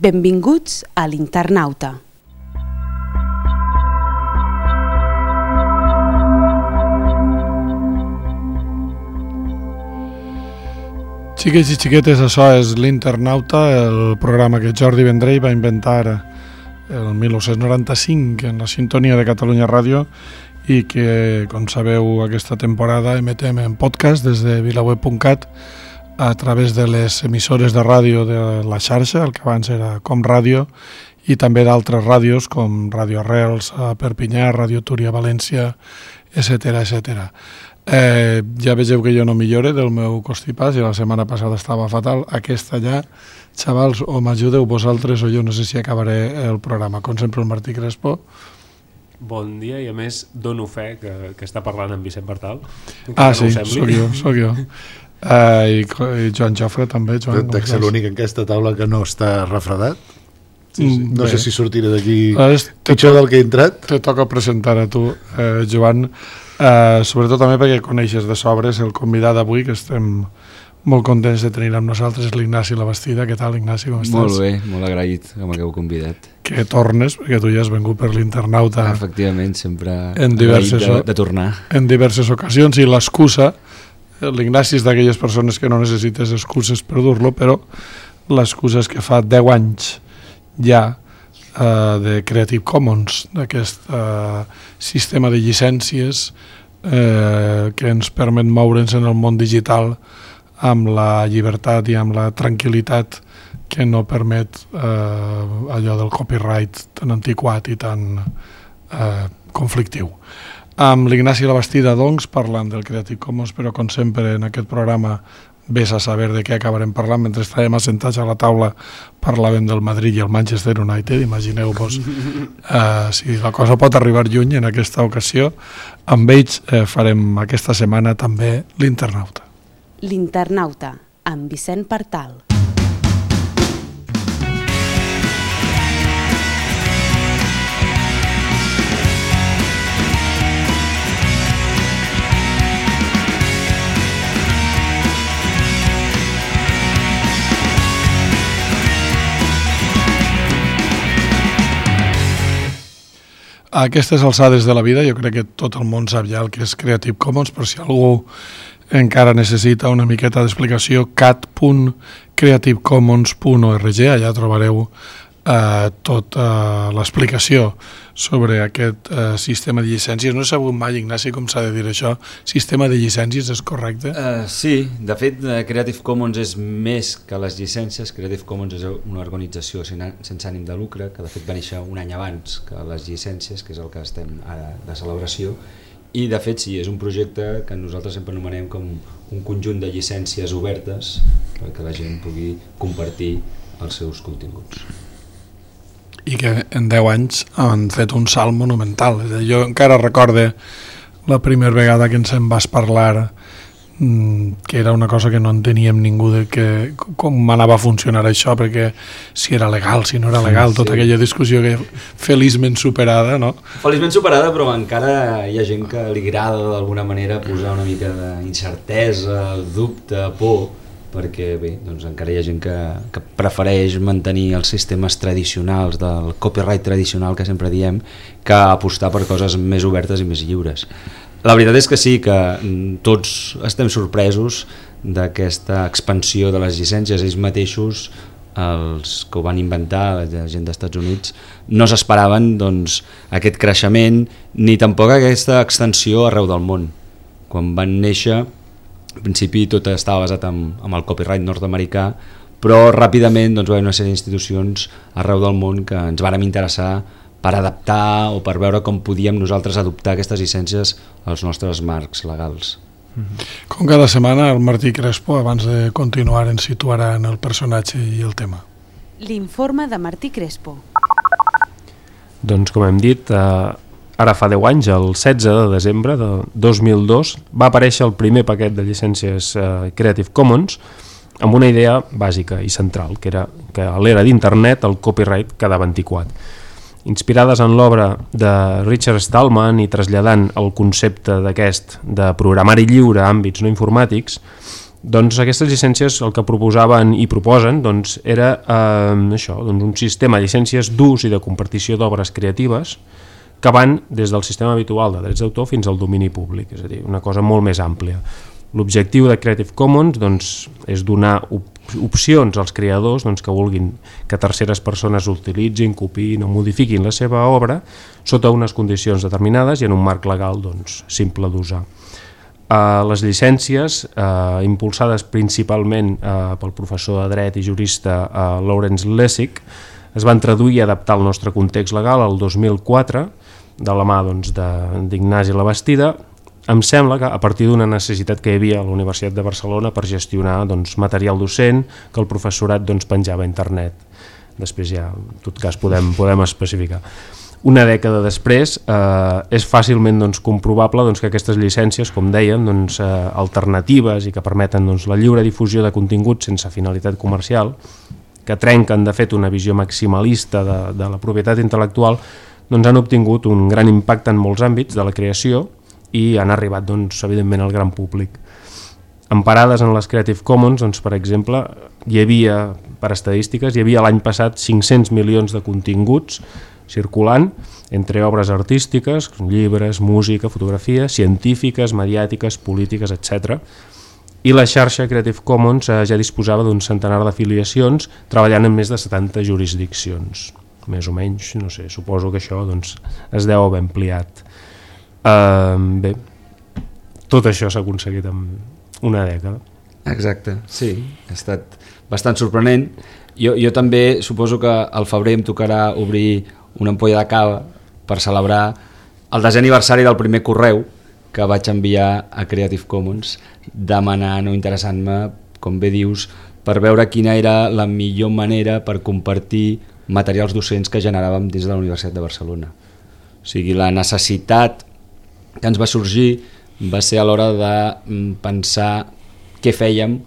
Benvinguts a l'Internauta. Xiquets i xiquetes, això és l'Internauta, el programa que Jordi Vendrell va inventar el 1995 en la sintonia de Catalunya Ràdio i que, com sabeu, aquesta temporada emetem en podcast des de vilaweb.cat a través de les emissores de ràdio de la xarxa, el que abans era Com Ràdio, i també d'altres ràdios com Ràdio Arrels a Perpinyà, Ràdio Túria a València, etc. etc. Ja vegeu que jo no millore del meu constipàs i la setmana passada estava fatal. Aquesta ja, xavals, o m'ajudeu vosaltres o jo no sé si acabaré el programa. Com sempre, el Martí Crespo. Bon dia, i a més dono fe que està parlant amb Vicent Bartal. Sí, sóc jo. I Joan Jofre també. Dec ser l'únic en aquesta taula que no està refredat. Sí. No sé si sortiré d'aquí pitjor del que he entrat. Te toca presentar a tu, Joan, sobretot també perquè coneixes de sobres el convidat d'avui, que estem molt contents de tenir amb nosaltres, l'Ignasi Labastida. Què tal, Ignasi, com estàs? Molt bé, molt agraït que m'hagueu convidat. Que tornes, perquè tu ja has vengut per l'Internauta. Efectivament, sempre de tornar. En diverses ocasions, i l'excusa, l'Ignasi és d'aquelles persones que no necessites excuses per dur-lo, però l'excusa és que fa 10 anys ja de Creative Commons, d'aquest sistema de llicències que ens permet moure'ns en el món digital amb la llibertat i amb la tranquil·litat que no permet allò del copyright tan antiquat i tan conflictiu. Amb l'Ignasi Labastida, doncs, parlant del Creative Commons, però com sempre en aquest programa vés a saber de què acabarem parlant. Mentre estàvem assentats a la taula parlàvem del Madrid i el Manchester United. Imagineu-vos si la cosa pot arribar lluny en aquesta ocasió. Amb ells farem aquesta setmana també l'Internauta. L'Internauta, amb Vicent Bartal. A aquestes alçades de la vida jo crec que tot el món sap ja el que és Creative Commons, però si algú encara necessita una miqueta d'explicació, cat.creativecommons.org, allà trobareu tota l'explicació sobre aquest sistema de llicències. No he sabut mai, Ignasi, com s'ha de dir això. Sistema de llicències, és correcte? Sí, de fet Creative Commons és més que les llicències. Creative Commons és una organització sense ànim de lucre que de fet va néixer un any abans que les llicències, que és el que estem ara de celebració, i de fet sí, és un projecte que nosaltres sempre anomenem com un conjunt de llicències obertes perquè la gent pugui compartir els seus continguts. I que en 10 anys han fet un salt monumental. Jo encara recorde la primera vegada que ens en vas parlar, que era una cosa que no enteníem ningú de com anava a funcionar això, perquè si era legal, si no era legal, tota aquella discussió que feliçment superada, no? Feliçment superada, però encara hi ha gent que li agrada d'alguna manera posar una mica d'incertesa, dubte, por, perquè bé, doncs encara hi ha gent que prefereix mantenir els sistemes tradicionals del copyright tradicional que sempre diem, que apostar per coses més obertes i més lliures. La veritat és que sí, que tots estem sorpresos d'aquesta expansió de les llicències. Ells mateixos, els que ho van inventar, la gent dels Estats Units, no s'esperaven doncs, aquest creixement ni tampoc aquesta extensió arreu del món. Quan van néixer, al principi tot estava basat en el copyright nord-americà, però ràpidament doncs, va haver una sèrie d'institucions arreu del món que ens vàrem interessar per adaptar o per veure com podíem nosaltres adoptar aquestes llicències als nostres marcs legals. Com cada setmana, el Martí Crespo, abans de continuar, ens situarà en el personatge i el tema. L'informe de Martí Crespo. Doncs com hem dit, ara fa 10 anys, el 16 de desembre de 2002, va aparèixer el primer paquet de llicències Creative Commons amb una idea bàsica i central, que era que a l'era d'internet el copyright quedava antiquat. Inspirades en l'obra de Richard Stallman i traslladant el concepte d'aquest de programari lliure a àmbits no informàtics, Doncs aquestes llicències el que proposaven i proposen doncs, era això, doncs un sistema de llicències d'ús i de compartició d'obres creatives que van des del sistema habitual de drets d'autor fins al domini públic, és a dir, una cosa molt més àmplia. L'objectiu de Creative Commons doncs, és donar opcions als creadors doncs, que vulguin que terceres persones utilitzin, copiïn o modifiquin la seva obra sota unes condicions determinades i en un marc legal doncs, simple d'usar. Les llicències, impulsades principalment pel professor de dret i jurista Lawrence Lessig, es van traduir i adaptar al nostre context legal el 2004 de la mà doncs, d'Ignasi Labastida. Em sembla que a partir d'una necessitat que hi havia a la Universitat de Barcelona per gestionar doncs, material docent que el professorat doncs, penjava a internet. Després ja, en tot cas, podem especificar. Una dècada després és fàcilment doncs, comprovable doncs, que aquestes llicències, com dèiem, doncs, alternatives i que permeten doncs, la lliure difusió de continguts sense finalitat comercial, que trenquen de fet una visió maximalista de la propietat intel·lectual, doncs, han obtingut un gran impacte en molts àmbits de la creació i han arribat doncs, evidentment al gran públic. Emparades en les Creative Commons, doncs, per exemple, hi havia, per estadístiques, hi havia l'any passat 500 milions de continguts circulant entre obres artístiques, llibres, música, fotografia, científiques, mediàtiques, polítiques, etc. I la xarxa Creative Commons ja disposava d'un centenar d'afiliacions treballant en més de 70 jurisdiccions. Més o menys, no sé, suposo que això doncs, es deu haver ampliat. Bé, tot això s'ha aconseguit en una dècada. Exacte, sí, ha estat bastant sorprenent. Jo també suposo que al febrer em tocarà obrir una ampolla de cava per celebrar el 10è aniversari del primer correu que vaig enviar a Creative Commons demanant o interessant-me, com bé dius, per veure quina era la millor manera per compartir materials docents que generàvem dins de la Universitat de Barcelona. O sigui, la necessitat que ens va sorgir va ser a l'hora de pensar què fèiem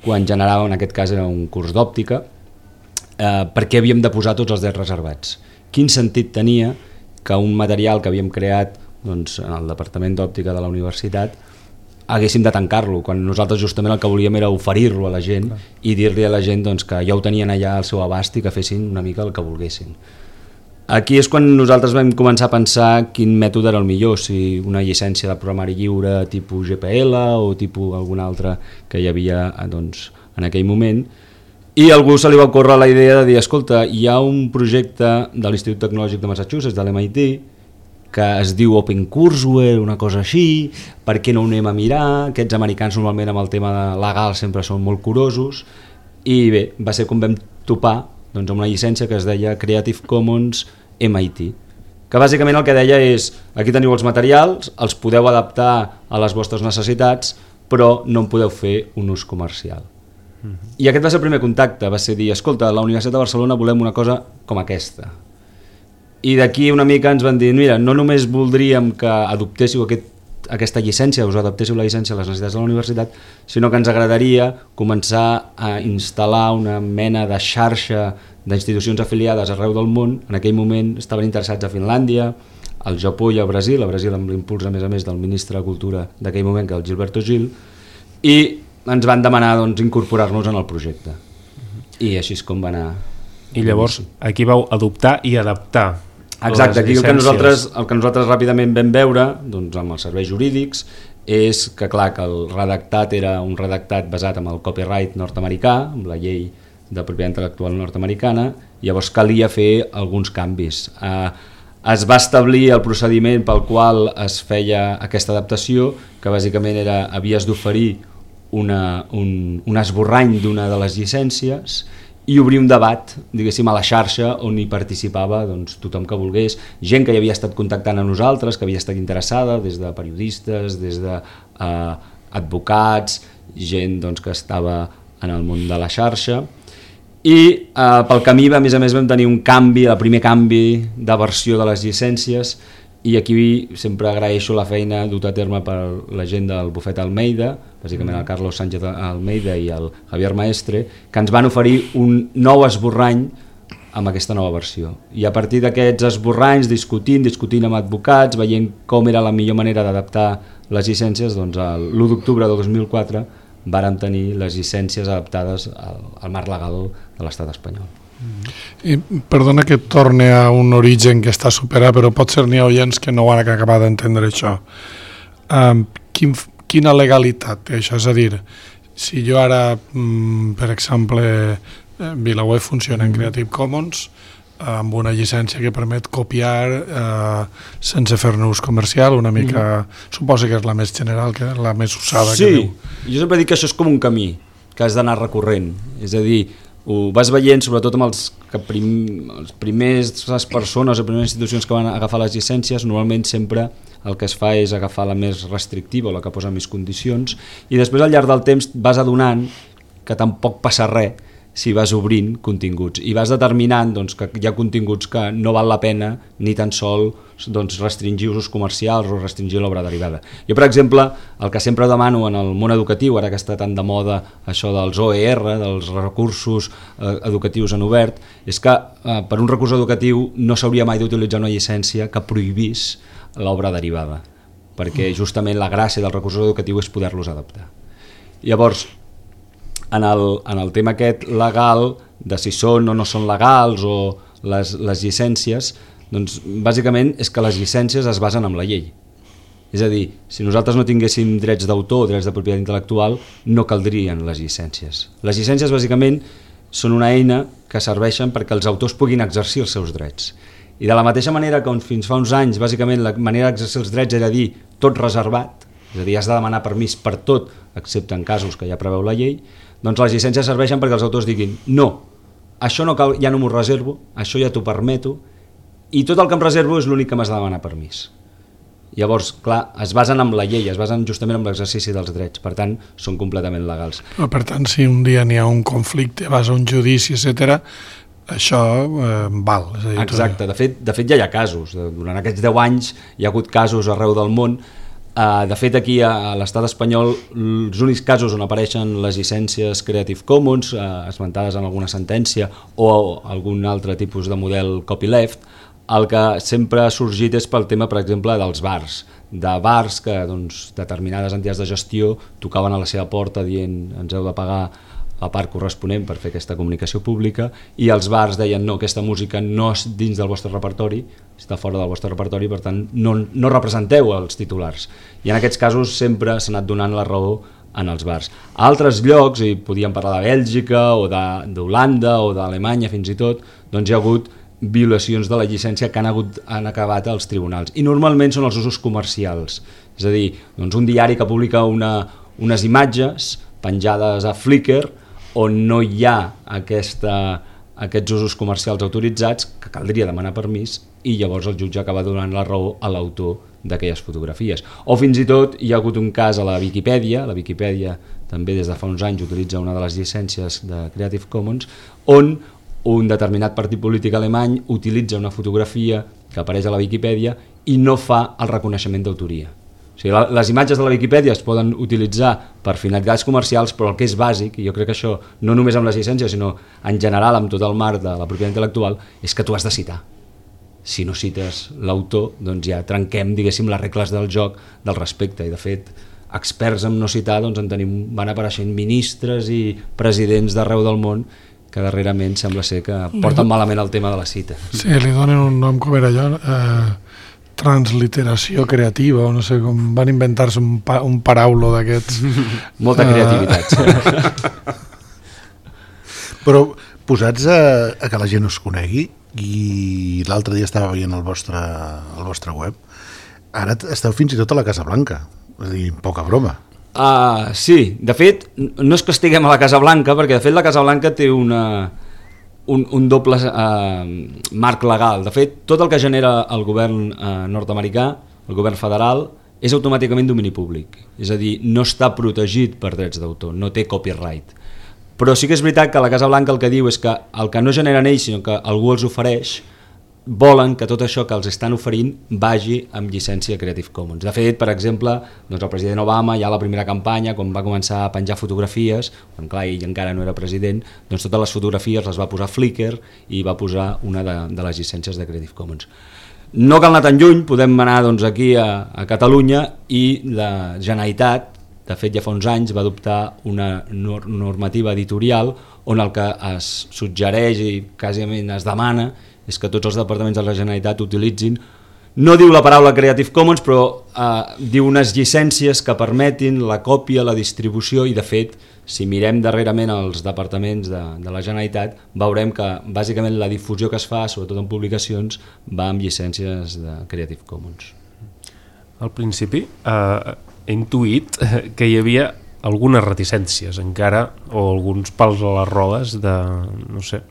quan generàvem, en aquest cas era un curs d'òptica, perquè havíem de posar tots els drets reservats. Quin sentit tenia que un material que havíem creat doncs, en el departament d'òptica de la universitat haguéssim de tancar-lo, quan nosaltres justament el que volíem era oferir-lo a la gent i dir-li a la gent doncs, que ja ho tenien allà al seu abast i que fessin una mica el que volguessin. Aquí és quan nosaltres vam començar a pensar quin mètode era el millor, si una llicència de programari lliure tipus GPL o tipus algun altre que hi havia doncs, en aquell moment. I a algú se li va ocórrer la idea de dir, escolta, hi ha un projecte de l'Institut Tecnològic de Massachusetts, de l'MIT, que es diu OpenCourseware, una cosa així, per què no ho anem a mirar? Aquests americans normalment amb el tema legal sempre són molt curosos, i bé, va ser com vam topar doncs, amb una llicència que es deia Creative Commons MIT, que bàsicament el que deia és, aquí teniu els materials, els podeu adaptar a les vostres necessitats, però no en podeu fer un ús comercial. I aquest va ser el primer contacte, va ser dir, escolta, a la Universitat de Barcelona volem una cosa com aquesta. I d'aquí una mica ens van dir, mira, no només voldríem que adoptéssiu aquesta llicència, us adaptéssiu la llicència a les necessitats de la universitat, sinó que ens agradaria començar a instal·lar una mena de xarxa d'institucions afiliades arreu del món. En aquell moment estaven interessats a Finlàndia, al Japó i al Brasil amb l'impuls a més del ministre de Cultura d'aquell moment, que és el Gilberto Gil, i ens van demanar doncs, incorporar-nos en el projecte. I així és com va anar. I llavors aquí vau adoptar i adaptar. Exacte, aquí el que nosaltres ràpidament vam veure doncs, amb els serveis jurídics és que clar, que el redactat era un redactat basat en el copyright nord-americà, amb la llei de propietat intel·lectual nord-americana, llavors calia fer alguns canvis. Es va establir el procediment pel qual es feia aquesta adaptació, que bàsicament era, havies d'oferir un esborrany d'una de les llicències i obrir un debat, diguéssim, a la xarxa on hi participava doncs, tothom que volgués, gent que hi havia estat contactant a nosaltres, que havia estat interessada, des de periodistes, des d'advocats, gent doncs, que estava en el món de la xarxa. I pel camí, a més vam tenir un canvi, el primer canvi de versió de les llicències, i aquí sempre agraeixo la feina duta a terme per la gent del bufet Almeida, bàsicament el Carlos Sánchez Almeida i el Javier Maestre, que ens van oferir un nou esborrany amb aquesta nova versió. I a partir d'aquests esborranys, discutint amb advocats, veient com era la millor manera d'adaptar les llicències, doncs l'1 d'octubre de 2004 vàrem tenir les llicències adaptades al marc legal de l'estat espanyol. I perdona que torne a un origen que està superat, però potser n'hi ha oients que no ho han acabat d'entendre això. Quina legalitat té això? És a dir, si jo ara, per exemple, VilaWeb funciona en Creative Commons amb una llicència que permet copiar sense fer-ne ús comercial, una mica, suposo que és la més general, que és la més usada. Sí, que diu. Jo sempre dic que això és com un camí que has d'anar recorrent, és a dir, ho vas veient sobretot amb els primers persones o primeres institucions que van agafar les llicències. Normalment sempre el que es fa és agafar la més restrictiva o la que posa més condicions, i després al llarg del temps vas adonant que tampoc passa res si vas obrint continguts i vas determinant que hi ha continguts que no val la pena ni tan sol restringir usos comercials o restringir l'obra derivada. Jo, per exemple, el que sempre demano en el món educatiu, ara que està tan de moda això dels OER, dels recursos educatius en obert, és que per un recurs educatiu no s'hauria mai d'utilitzar una llicència que prohibís l'obra derivada, perquè justament la gràcia del recurs educatiu és poder-los adaptar. Llavors, en el tema aquest legal, de si són o no són legals o les llicències, doncs bàsicament és que les llicències es basen en la llei. És a dir, si nosaltres no tinguéssim drets d'autor o drets de propietat intel·lectual, no caldrien les llicències. Les llicències bàsicament són una eina que serveixen perquè els autors puguin exercir els seus drets. I de la mateixa manera que fins fa uns anys bàsicament la manera d'exercir els drets era dir tot reservat, és a dir, has de demanar permís per tot excepte en casos que ja preveu la llei, doncs les llicències serveixen perquè els autors diguin no, això no cal, ja no m'ho reservo, això ja t'ho permeto, i tot el que em reservo és l'únic que m'has de demanar permís. Llavors, clar, es basen en la llei, es basen justament en l'exercici dels drets, per tant, són completament legals. Però, per tant, si un dia n'hi ha un conflicte, vas a un judici, etc., això val. És a dir, exacte, de fet ja hi ha casos, durant aquests 10 anys hi ha hagut casos arreu del món. De fet, aquí a l'estat espanyol els únics casos on apareixen les llicències Creative Commons esmentades en alguna sentència o algun altre tipus de model copyleft, el que sempre ha sorgit és pel tema, per exemple, dels bars, que determinades entitats de gestió tocaven a la seva porta dient ens heu de pagar la part corresponent per fer aquesta comunicació pública, i els bars deien no, aquesta música no és dins del vostre repertori, està fora del vostre repertori, per tant no representeu els titulars, i en aquests casos sempre s'ha anat donant la raó en els bars. A altres llocs, i podíem parlar de Bèlgica o d'Holanda o d'Alemanya fins i tot, doncs hi ha hagut violacions de la llicència que han acabat als tribunals, i normalment són els usos comercials, és a dir, un diari que publica unes imatges penjades a Flickr on no hi ha aquests usos comercials autoritzats, que caldria demanar permís, i llavors el jutge acaba donant la raó a l'autor d'aquelles fotografies. O fins i tot hi ha hagut un cas a la Viquipèdia també des de fa uns anys utilitza una de les llicències de Creative Commons, on un determinat partit polític alemany utilitza una fotografia que apareix a la Viquipèdia i no fa el reconeixement d'autoria. O sigui, les imatges de la Viquipèdia es poden utilitzar per finalitats comercials, però el que és bàsic, i jo crec que això no només amb les llicències, sinó en general amb tot el marc de la propietat intel·lectual, és que tu has de citar. Si no cites l'autor, doncs ja trenquem, diguéssim, les regles del joc del respecte, i de fet, experts en no citar, doncs van apareixent ministres i presidents d'arreu del món que darrerament sembla ser que porten malament el tema de la cita. Sí, li donen un nom, com era allò, transliteració creativa, o no sé, com van inventar-se un paraulo d'aquests. Molta creativitat. Però posats a que la gent us conegui, i l'altre dia estava veient el vostre web, ara esteu fins i tot a la Casa Blanca, és a dir, poca broma. Sí, de fet, no és que estiguem a la Casa Blanca, perquè de fet la Casa Blanca té un doble marc legal. De fet, tot el que genera el govern nord-americà, el govern federal, és automàticament domini públic. És a dir, no està protegit per drets d'autor, no té copyright. Però sí que és veritat que la Casa Blanca el que diu és que el que no generen ells, sinó que algú els ofereix, volen que tot això que els estan oferint vagi amb llicència Creative Commons. De fet, per exemple, doncs el president Obama ja a la primera campanya, quan va començar a penjar fotografies, quan clar, ell encara no era president, doncs totes les fotografies les va posar Flickr i va posar una de les llicències de Creative Commons. No cal anar tan lluny, podem anar doncs, aquí a Catalunya, i la Generalitat de fet ja fa uns anys va adoptar una normativa editorial on el que es suggereix i quasi es demana és que tots els departaments de la Generalitat utilitzin, no diu la paraula Creative Commons, però diu unes llicències que permetin la còpia, la distribució, i de fet, si mirem darrerament els departaments de la Generalitat, veurem que bàsicament la difusió que es fa, sobretot en publicacions, va amb llicències de Creative Commons. Al principi he intuït que hi havia algunes reticències encara, o alguns pals a les rodes de, no sé,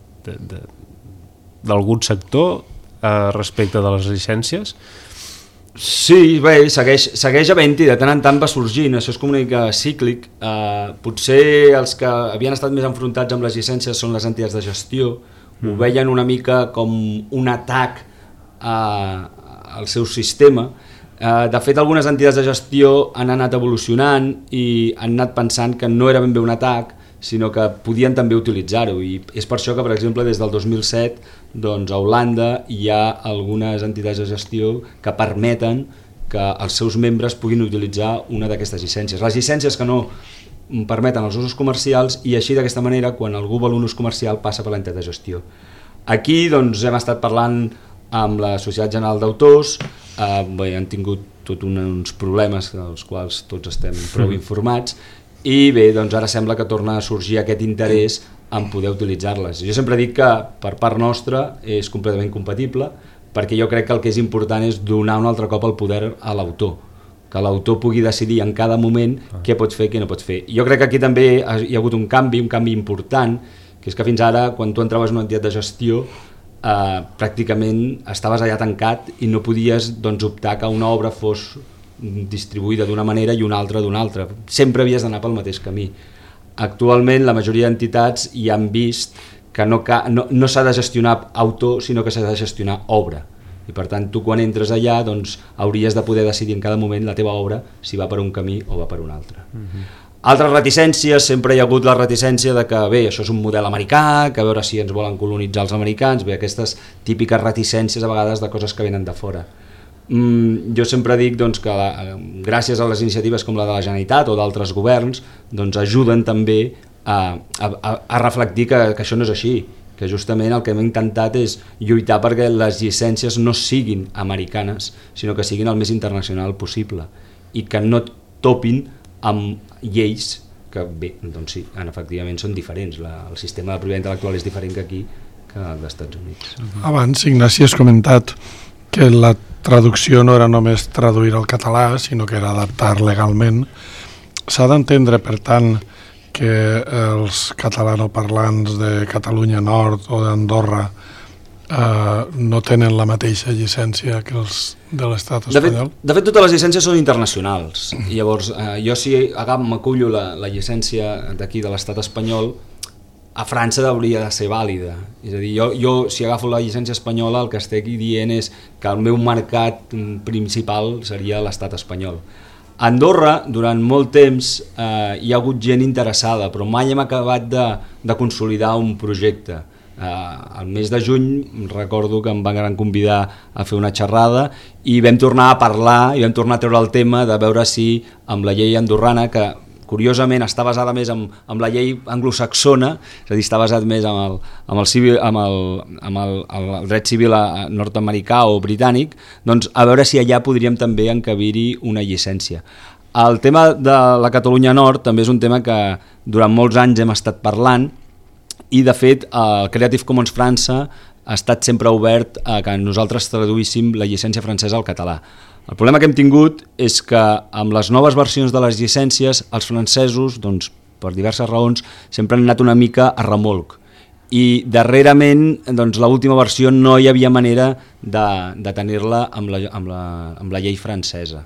d'algun sector respecte de les llicències. Sí, bé, segueix havent-hi, de tant en tant va sorgint, això és com una mica cíclic. Potser els que havien estat més enfrontats amb les llicències són les entitats de gestió, ho veien una mica com un atac al seu sistema. De fet, algunes entitats de gestió han anat evolucionant i han anat pensant que no era ben bé un atac, sinó que podien també utilitzar-ho, i és per això que, per exemple, des del 2007 doncs, a Holanda hi ha algunes entitats de gestió que permeten que els seus membres puguin utilitzar una d'aquestes llicències. Les llicències que no permeten els usos comercials, i així d'aquesta manera quan algú vol un ús comercial passa per l'entitat de gestió. Aquí doncs, hem estat parlant amb la Societat General d'Autors, han tingut tots uns problemes dels quals tots estem prou informats, i bé, doncs ara sembla que torna a sorgir aquest interès en poder utilitzar-les. Jo sempre dic que per part nostra és completament compatible, perquè jo crec que el que és important és donar un altre cop el poder a l'autor, que l'autor pugui decidir en cada moment què pot fer i què no pot fer. Jo crec que aquí també hi ha hagut un canvi important, que és que fins ara quan tu entraves en una entitat de gestió pràcticament estaves allà tancat i no podies optar que una obra fos distribuïda d'una manera i una altra d'una altra. Sempre havies d'anar pel mateix camí. Actualment la majoria d'entitats hi han vist que no s'ha de gestionar autor, sinó que s'ha de gestionar obra. I per tant tu quan entres allà doncs, hauries de poder decidir en cada moment la teva obra si va per un camí o va per un altre. Altres reticències, sempre hi ha hagut la reticència de que bé, això és un model americà, que a veure si ens volen colonitzar els americans, bé, aquestes típiques reticències a vegades de coses que venen de fora. Jo sempre dic doncs, que gràcies a les iniciatives com la de la Generalitat o d'altres governs doncs, ajuden també a reflectir que això no és així, que justament el que hem intentat és lluitar perquè les llicències no siguin americanes, sinó que siguin el més internacional possible i que no topin amb lleis que bé, doncs sí, efectivament són diferents. El sistema de propietat intel·lectual és diferent que aquí que als Estats Units. Abans, Ignasi, has comentat que la traducció no era només traduir al català, sinó que era adaptar legalment. S'ha d'entendre, per tant, que els catalanoparlants de Catalunya Nord o d'Andorra no tenen la mateixa llicència que els de l'estat espanyol? De fet, totes les llicències són internacionals. Llavors, jo si m'acullo la llicència d'aquí de l'estat espanyol, a França hauria de ser vàlida. És a dir, jo si agafo la llicència espanyola el que estic dient és que el meu mercat principal seria l'estat espanyol. A Andorra, durant molt temps, hi ha hagut gent interessada, però mai hem acabat de consolidar un projecte. Al mes de juny recordo que em van convidar a fer una xerrada i vam tornar a parlar i vam tornar a treure el tema de veure si amb la llei andorrana, que curiosament està basada més amb la llei anglosaxona, és a dir, està basat més amb el dret civil nord-americà o britànic, doncs a veure si allà podríem també encabir-hi una llicència. El tema de la Catalunya Nord també és un tema que durant molts anys hem estat parlant i de fet el Creative Commons França ha estat sempre obert a que nosaltres traduíssim la llicència francesa al català. El problema que hem tingut és que amb les noves versions de les llicències els francesos, doncs, per diverses raons, sempre han anat una mica a remolc i darrerament doncs, l'última versió no hi havia manera de tenir-la amb la llei francesa.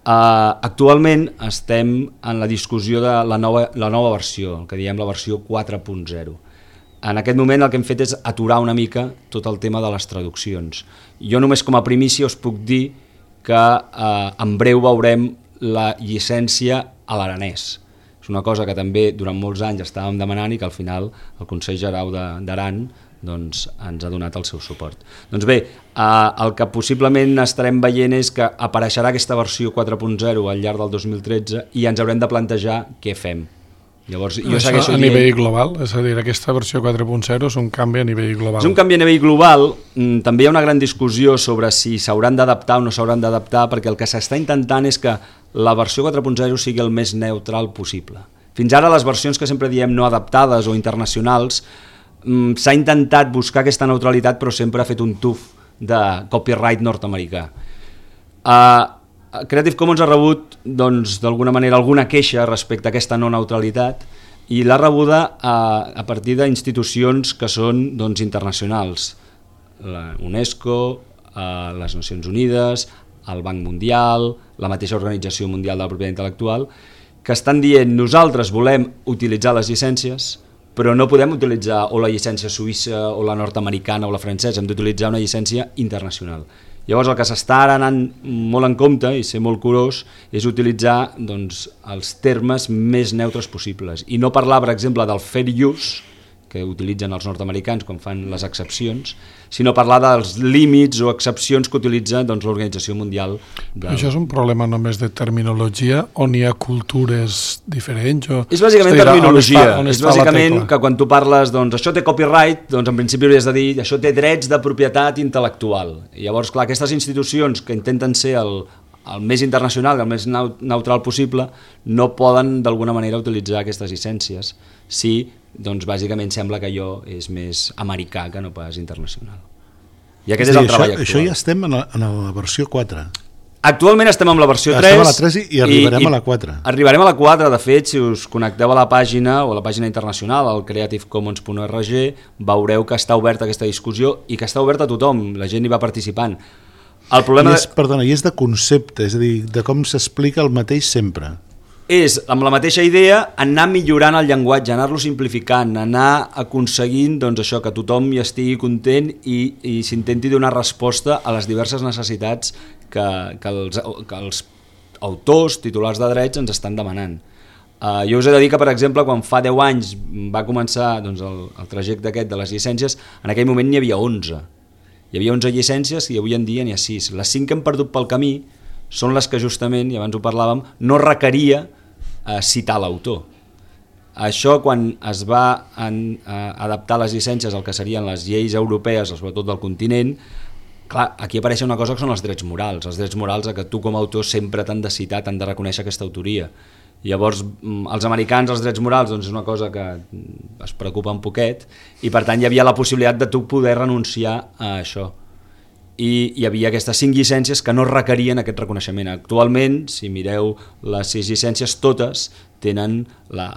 Actualment estem en la discussió de la nova versió, el que diem la versió 4.0. En aquest moment el que hem fet és aturar una mica tot el tema de les traduccions. Jo només com a primícia us puc dir que en breu veurem la llicència a l'aranès. És una cosa que també durant molts anys estàvem demanant i que al final el Consell General d'Aran doncs, ens ha donat el seu suport. Doncs bé, el que possiblement estarem veient és que apareixerà aquesta versió 4.0 al llarg del 2013 i ens haurem de plantejar què fem. Llavors, jo això a nivell global, és a dir, aquesta versió 4.0 és un canvi a nivell global. És un canvi a nivell global. També hi ha una gran discussió sobre si s'hauran d'adaptar o no s'hauran d'adaptar, perquè el que s'està intentant és que la versió 4.0 sigui el més neutral possible. Fins ara les versions que sempre diem no adaptades o internacionals s'ha intentat buscar aquesta neutralitat, però sempre ha fet un tuf de copyright nord-americà. Creative Commons ha rebut doncs, d'alguna manera alguna queixa respecte a aquesta no neutralitat i l'ha rebuda a partir d'institucions que són doncs, internacionals, la UNESCO, les Nacions Unides, el Banc Mundial, la mateixa Organització Mundial de la Propietat Intel·lectual, que estan dient nosaltres volem utilitzar les llicències, però no podem utilitzar o la llicència suïssa o la nord-americana o la francesa, hem d'utilitzar una llicència internacional. Llavors el que s'està ara anant molt en compte i ser molt curós és utilitzar doncs, els termes més neutres possibles i no parlar, per exemple, del fair use, que utilitzen els nord-americans quan fan les excepcions, sinó parlar dels límits o excepcions que utilitza doncs, l'Organització Mundial. Això és un problema només de terminologia on hi ha cultures diferents? És bàsicament terminologia. És bàsicament que quan tu parles, doncs això té copyright, doncs en principi hauries de dir això té drets de propietat intel·lectual. I llavors, clar, aquestes institucions que intenten ser el més internacional, el més neutral possible, no poden d'alguna manera utilitzar aquestes llicències si doncs bàsicament sembla que allò és més americà que no pas internacional. I aquest és el treball actual. Això ja estem en la versió 4. Actualment estem amb la versió 3. Estem a la 3 i arribarem a la 4. Arribarem a la 4, de fet, si us connecteu a la pàgina o a la pàgina internacional, al creativecommons.org, veureu que està oberta aquesta discussió i que està oberta a tothom, la gent hi va participant. El problema i és de concepte, és a dir, de com s'explica el mateix sempre. És, amb la mateixa idea, anar millorant el llenguatge, anar-lo simplificant, anar aconseguint doncs, això, que tothom hi estigui content i s'intenti donar resposta a les diverses necessitats que els autors, titulars de drets, ens estan demanant. Jo us he de dir que, per exemple, quan fa 10 anys va començar doncs, el trajecte aquest de les llicències, en aquell moment n'hi havia 11. Hi havia 11 llicències i avui en dia n'hi ha 6. Les 5 que hem perdut pel camí són les que justament, i abans ho parlàvem, no requeria citar l'autor. Això quan es va adaptar les llicències al que serien les lleis europees, sobretot del continent, clar, aquí apareix una cosa que són els drets morals. Els drets morals a que tu com a autor sempre t'han de citar, t'han de reconèixer aquesta autoria. Llavors, els americans, els drets morals, doncs és una cosa que es preocupa un poquet i per tant hi havia la possibilitat de tu poder renunciar a això. I hi havia aquestes 5 llicències que no requerien aquest reconeixement. Actualment, si mireu les 6 llicències, totes tenen la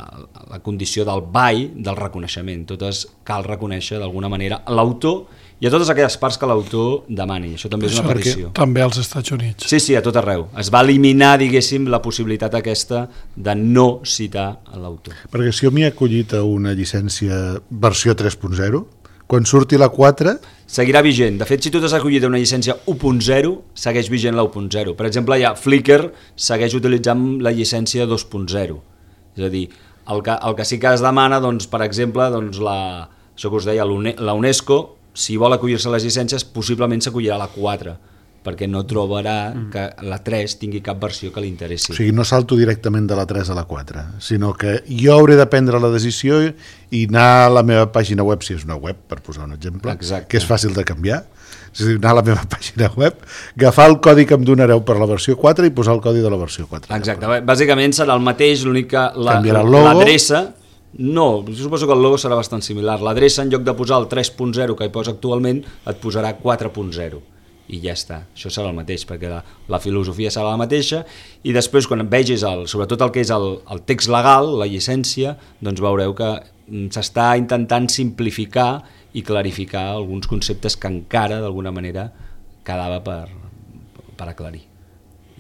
condició del BAI, del reconeixement. Totes cal reconèixer d'alguna manera l'autor i a totes aquelles parts que l'autor demani. Això també és una petició. També als Estats Units. Sí, a tot arreu. Es va eliminar, diguéssim, la possibilitat aquesta de no citar l'autor. Perquè si jo m'hi he acollit a una llicència versió 3.0, quan surti la 4... Seguirà vigent. De fet, si tu t'has acollit a una llicència 1.0, segueix vigent la 1.0. Per exemple, ja Flickr segueix utilitzant la llicència 2.0. És a dir, el que sí que es demana, doncs, per exemple, doncs, això que us deia, la UNESCO, si vol acollir-se a les llicències, possiblement s'acollirà a la 4, perquè no trobarà que la 3 tingui cap versió que li interessi. O sigui, no salto directament de la 3 a la 4, sinó que jo hauré de prendre la decisió i anar a la meva pàgina web, si és una web, per posar un exemple, exacte, que és fàcil de canviar, és a dir, anar a la meva pàgina web, agafar el codi que em donareu per la versió 4 i posar el codi de la versió 4. Exacte, bàsicament serà el mateix, l'únic que l'adreça... No, jo suposo que el logo serà bastant similar. L'adreça, en lloc de posar el 3.0 que hi posa actualment, et posarà 4.0 i ja està, això serà el mateix perquè la filosofia serà la mateixa i després quan vegis sobretot el que és el text legal, la llicència, doncs veureu que s'està intentant simplificar i clarificar alguns conceptes que encara d'alguna manera quedava per aclarir.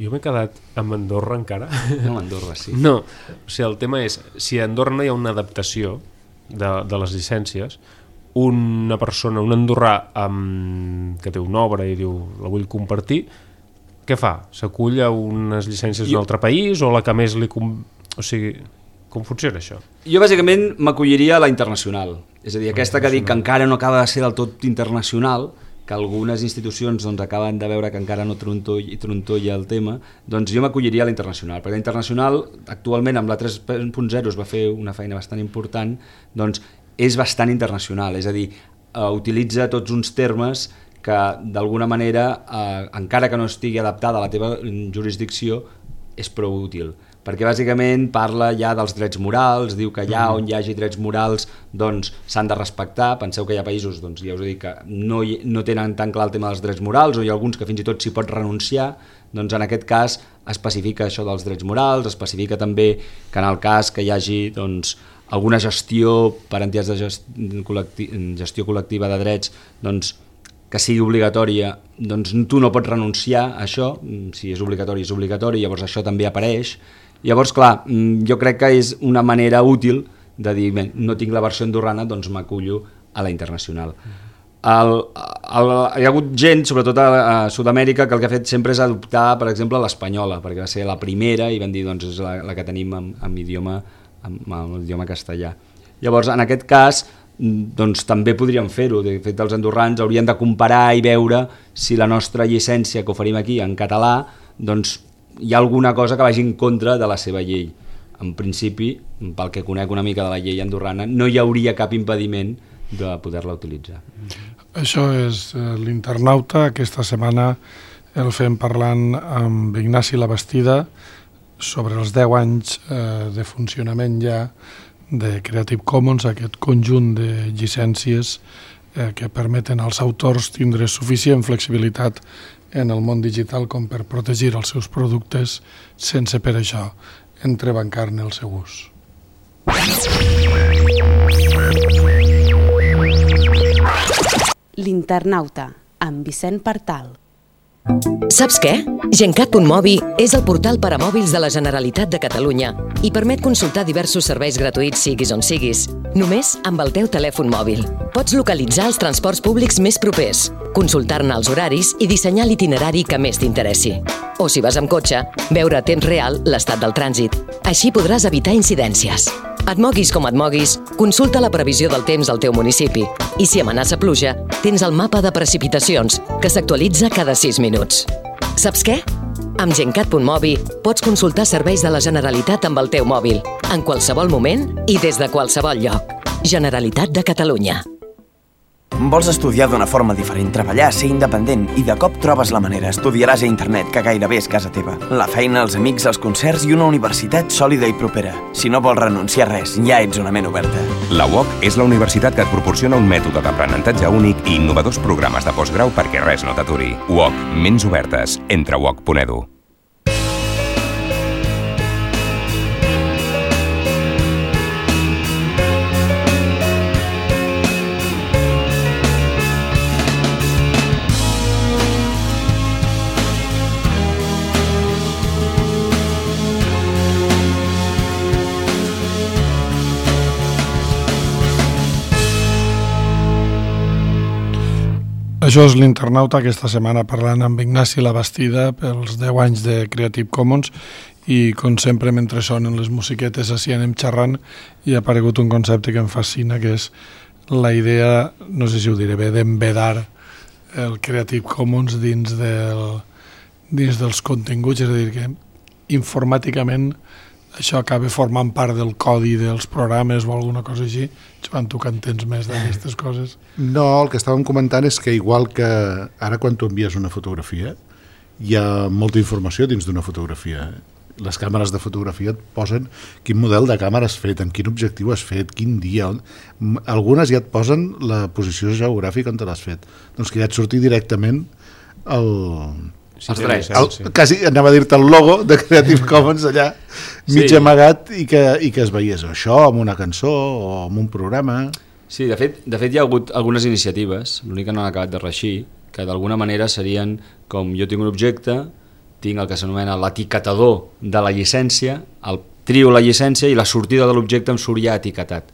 Jo m'he quedat amb Andorra encara. No, Andorra sí. No, o sigui, el tema és, si a Andorra no hi ha una adaptació de les llicències, una persona, un andorrà que té una obra i diu la vull compartir, què fa? S'acull a unes llicències d'un altre país o la que més li... O sigui... Com funciona això? Jo bàsicament m'acolliria a la internacional, és a dir, aquesta que dic que encara no acaba de ser del tot internacional, que algunes institucions doncs, acaben de veure que encara no trontolla el tema, doncs jo m'acolliria a la internacional, perquè la internacional actualment amb la 3.0 es va fer una feina bastant important, doncs és bastant internacional, és a dir, utilitza tots uns termes que d'alguna manera, encara que no estigui adaptada a la teva jurisdicció, és prou útil, perquè bàsicament parla ja dels drets morals, diu que allà on hi hagi drets morals doncs s'han de respectar. Penseu que hi ha països, doncs ja us he dit, que no tenen tan clar el tema dels drets morals, o hi ha alguns que fins i tot s'hi pot renunciar, doncs en aquest cas especifica això dels drets morals, especifica també que en el cas que hi hagi doncs, alguna gestió per entitats de gestió col·lectiva de drets, doncs que sigui obligatòria, doncs tu no pots renunciar a això, si és obligatori, llavors això també apareix. Llavors, clar, jo crec que és una manera útil de dir, bé, no tinc la versió andorrana, doncs m'acullo a la internacional. Hi ha hagut gent, sobretot a Sud-amèrica, que el que ha fet sempre és adoptar, per exemple, l'espanyola, perquè va ser la primera i van dir, doncs és la que tenim amb l'idioma castellà. Llavors, en aquest cas, doncs també podríem fer-ho. De fet, els andorrans haurien de comparar i veure si la nostra llicència que oferim aquí en català, doncs hi ha alguna cosa que vagi en contra de la seva llei. En principi, pel que conec una mica de la llei andorrana, no hi hauria cap impediment de poder-la utilitzar. Això és l'Internauta. Aquesta setmana el fem parlant amb Ignasi Labastida sobre els 10 anys de funcionament ja de Creative Commons, aquest conjunt de llicències que permeten als autors tindre suficient flexibilitat en el món digital com per protegir els seus productes sense per això entrebancar-ne el seu ús. L'Internauta, amb Vicent Partal. Saps què? Gencat.mobi és el portal per a mòbils de la Generalitat de Catalunya i permet consultar diversos serveis gratuïts siguis on siguis, només amb el teu telèfon mòbil. Pots localitzar els transports públics més propers, consultar-ne els horaris i dissenyar l'itinerari que més t'interessi. O si vas amb cotxe, veure a temps real l'estat del trànsit. Així podràs evitar incidències. Et moguis com et moguis, consulta la previsió del temps al teu municipi i si amenaça pluja, tens el mapa de precipitacions que s'actualitza cada 6 minuts. Saps què? Amb Gencat.mobi pots consultar serveis de la Generalitat amb el teu mòbil, en qualsevol moment i des de qualsevol lloc. Generalitat de Catalunya. Vols estudiar d'una forma diferent, treballar, ser independent i de cop trobes la manera, estudiaràs a internet, que gairebé és casa teva. La feina, els amics, els concerts i una universitat sòlida i propera. Si no vols renunciar a res, ja ets una ment oberta. La UOC és la universitat que et proporciona un mètode d'aprenentatge únic i innovadors programes de postgrau perquè res no t'aturi. UOC, ments obertes. Entra a uoc.edu. Això és l'Internauta, aquesta setmana parlant amb Ignasi Labastida pels 10 anys de Creative Commons i com sempre mentre sonen les musiquetes així anem xerrant i ha aparegut un concepte que em fascina, que és la idea, no sé si ho diré bé, d'embedar el Creative Commons dins dels continguts, és a dir, que informàticament això acaba formant part del codi dels programes o alguna cosa així. Joan, tu que entens més d'aquestes coses. No, el que estàvem comentant és que igual que ara quan tu envies una fotografia hi ha molta informació dins d'una fotografia. Les càmeres de fotografia et posen quin model de càmera has fet, en quin objectiu has fet, quin dia. Algunes ja et posen la posició geogràfica on te l'has fet. Doncs que ja et surti directament els drets. Quasi anava a dir-te el logo de Creative Commons allà mig amagat i que es veiés això amb una cançó o amb un programa. Sí, de fet hi ha hagut algunes iniciatives, l'únic que no han acabat de reeixir, que d'alguna manera serien com jo tinc un objecte, tinc el que s'anomena l'etiquetador de la llicència, el trio la llicència i la sortida de l'objecte em surt ja etiquetat.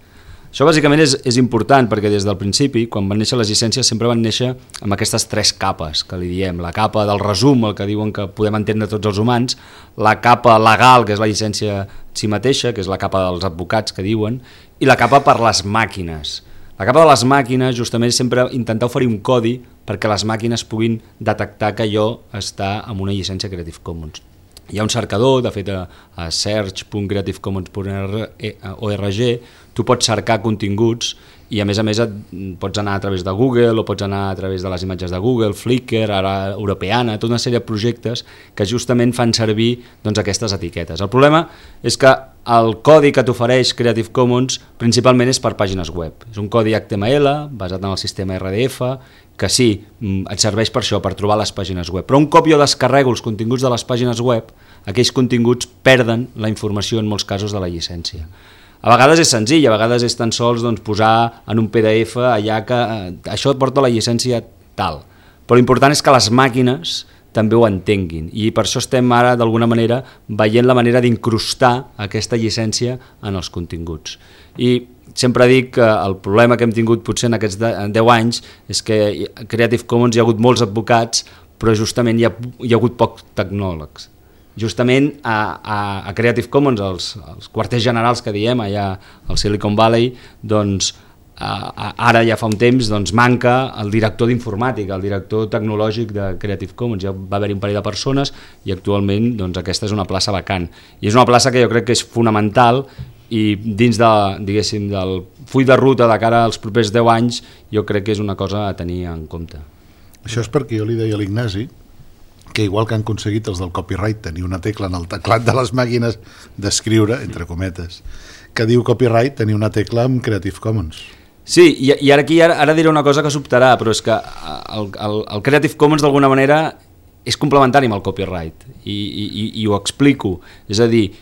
Això bàsicament és important perquè des del principi, quan van néixer les llicències, sempre van néixer amb aquestes 3 capes que li diem. La capa del resum, el que diuen que podem entendre tots els humans, la capa legal, que és la llicència en si mateixa, que és la capa dels advocats que diuen, i la capa per les màquines. La capa de les màquines justament és sempre intentar oferir un codi perquè les màquines puguin detectar que allò està amb una llicència Creative Commons. Hi ha un cercador, de fet a search.creativecommons.org tu pots cercar continguts i a més pots anar a través de Google o pots anar a través de les imatges de Google, Flickr, ara Europeana, tota una sèrie de projectes que justament fan servir doncs, aquestes etiquetes. El problema és que el codi que t'ofereix Creative Commons principalment és per pàgines web. És un codi HTML basat en el sistema RDF que sí, et serveix per això, per trobar les pàgines web. Però un cop jo descarrego els continguts de les pàgines web, aquells continguts perden la informació en molts casos de la llicència. A vegades és senzill, a vegades és tan sols doncs, posar en un PDF allà que això porta la llicència tal. Però l'important és que les màquines també ho entenguin i per això estem ara d'alguna manera veient la manera d'incrustar aquesta llicència en els continguts. I sempre dic que el problema que hem tingut potser en aquests 10 anys és que a Creative Commons hi ha hagut molts advocats però justament hi ha hagut pocs tecnòlegs. Justament a Creative Commons, els quarters generals que diem allà al Silicon Valley, doncs ara ja fa un temps manca el director d'informàtica, el director tecnològic de Creative Commons. Ja va haver-hi un parell de persones i actualment aquesta és una plaça vacant. I és una plaça que jo crec que és fonamental i dins del full de ruta de cara als propers 10 anys jo crec que és una cosa a tenir en compte. Això és perquè jo li deia a l'Ignasi que igual que han aconseguit els del copyright tenir una tecla en el teclat de les màquines d'escriure, entre cometes, que diu copyright, tenir una tecla amb Creative Commons. Sí, i ara diré una cosa que sobtarà, però és que el Creative Commons d'alguna manera és complementari amb el copyright i ho explico. És a dir,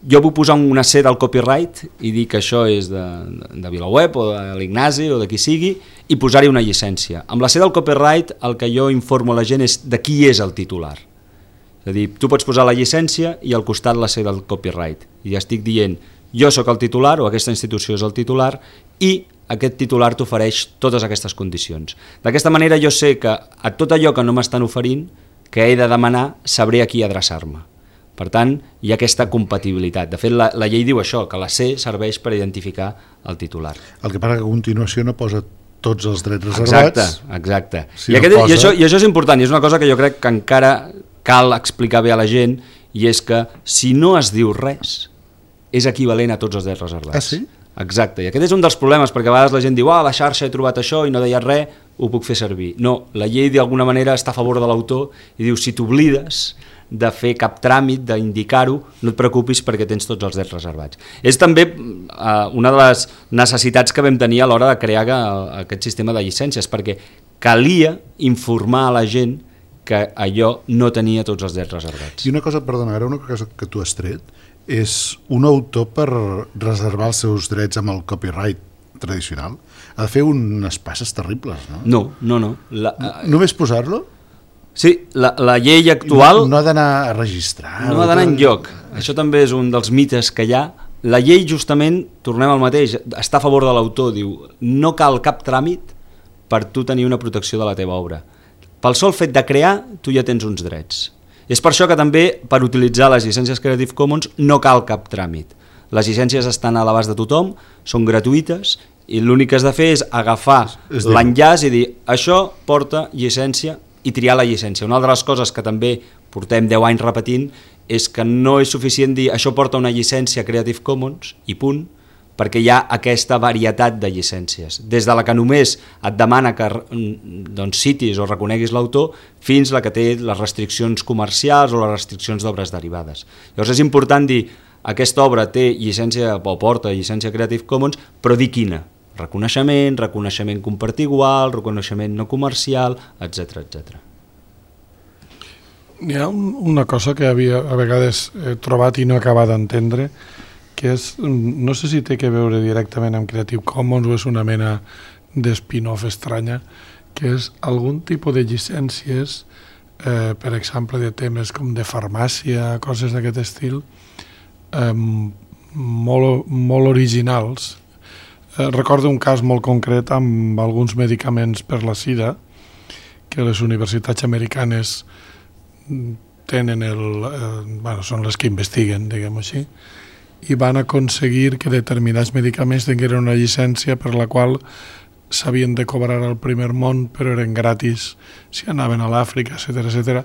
jo puc posar una C del copyright i dir que això és de VilaWeb o de l'Ignasi o de qui sigui i posar-hi una llicència. Amb la C del copyright el que jo informo a la gent és de qui és el titular. És a dir, tu pots posar la llicència i al costat la C del copyright. I estic dient, jo sóc el titular o aquesta institució és el titular i aquest titular t'ofereix totes aquestes condicions. D'aquesta manera jo sé que a tot allò que no m'estan oferint, que he de demanar, sabré a qui adreçar-me. Per tant, hi ha aquesta compatibilitat. De fet, la llei diu això, que la C serveix per identificar el titular. El que passa que a continuació no posa tots els drets reservats. Exacte. I això és important, i és una cosa que jo crec que encara cal explicar bé a la gent, i és que si no es diu res, és equivalent a tots els drets reservats. Ah, sí? Exacte, i aquest és un dels problemes, perquè a vegades la gent diu a la xarxa he trobat això i no deia res, ho puc fer servir. No, la llei d'alguna manera està a favor de l'autor i diu si t'oblides de fer cap tràmit, d'indicar-ho, no et preocupis perquè tens tots els drets reservats. És també una de les necessitats que vam tenir a l'hora de crear aquest sistema de llicències, perquè calia informar a la gent que allò no tenia tots els drets reservats. I una cosa, perdona, ara una cosa que tu has tret, és un autor per reservar els seus drets amb el copyright tradicional ha de fer unes passes terribles, no? No. Només posar-lo? Sí, la llei actual... No ha d'anar a registrar. No ha d'anar enlloc. Això també és un dels mites que hi ha. La llei justament, tornem al mateix, està a favor de l'autor, diu no cal cap tràmit per tu tenir una protecció de la teva obra. Pel sol fet de crear, tu ja tens uns drets. És per això que també per utilitzar les llicències Creative Commons no cal cap tràmit. Les llicències estan a l'abast de tothom, són gratuïtes i l'únic que has de fer és agafar l'enllaç i dir això porta llicència i triar la llicència. Una de les coses que també portem 10 anys repetint és que no és suficient dir això porta una llicència Creative Commons i punt, perquè hi ha aquesta varietat de llicències, des de la que només et demana que citis o reconeguis l'autor fins la que té les restriccions comercials o les restriccions d'obres derivades. Llavors és important dir aquesta obra té llicència o porta llicència Creative Commons, però dir quina. Reconeixement compartir igual, reconeixement no comercial, etc. Hi ha una cosa que a vegades he trobat i no he acabat d'entendre, que és, no sé si té que veure directament amb Creative Commons o és una mena d'espin-off estranya, que és algun tipus de llicències, per exemple, de temes com de farmàcia, coses d'aquest estil, molt originals, Recordo un cas molt concret amb alguns medicaments per la sida que les universitats americanes tenen són les que investiguen, diguem-ho així, i van aconseguir que determinats medicaments tingueren una llicència per la qual s'havien de cobrar al primer món, però eren gratis si anaven a l'Àfrica, etc.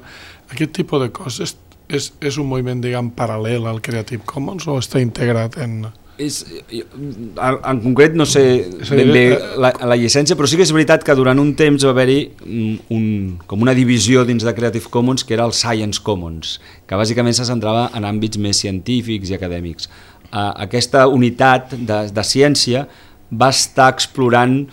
Aquest tipus de coses és un moviment, diguem, paral·lel al Creative Commons o està integrat en... En concret no sé ben bé la llicència, però sí que és veritat que durant un temps va haver-hi com una divisió dins de Creative Commons que era el Science Commons, que bàsicament se centrava en àmbits més científics i acadèmics. Aquesta unitat de ciència va estar explorant